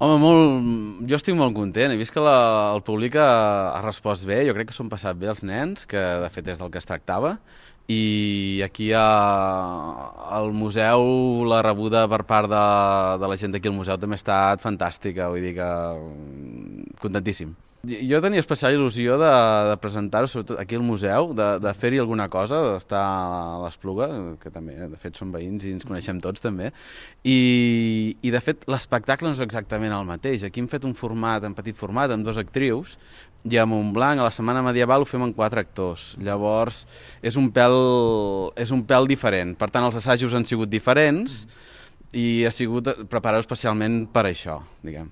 Home, jo estic molt content. He vist que el públic ha respost bé. Jo crec que s'ho han passat bé els nens, que de fet és del que es tractava. I aquí al museu la rebuda per part de la gent d'aquí al museu també ha estat fantàstica. Vull dir que contentíssim. Jo tenia especial il·lusió de presentar-ho, sobretot aquí al museu, de fer-hi alguna cosa, d'estar a l'Espluga, que també, de fet, som veïns i ens coneixem tots, també. I de fet, l'espectacle no és exactament el mateix. Aquí hem fet un format, en petit format, amb 2 actrius, i a Montblanc, a la Setmana Medieval, ho fem amb 4 actors. Llavors, és un pèl diferent. Per tant, els assajos han sigut diferents i ha sigut preparar-ho especialment per això, diguem.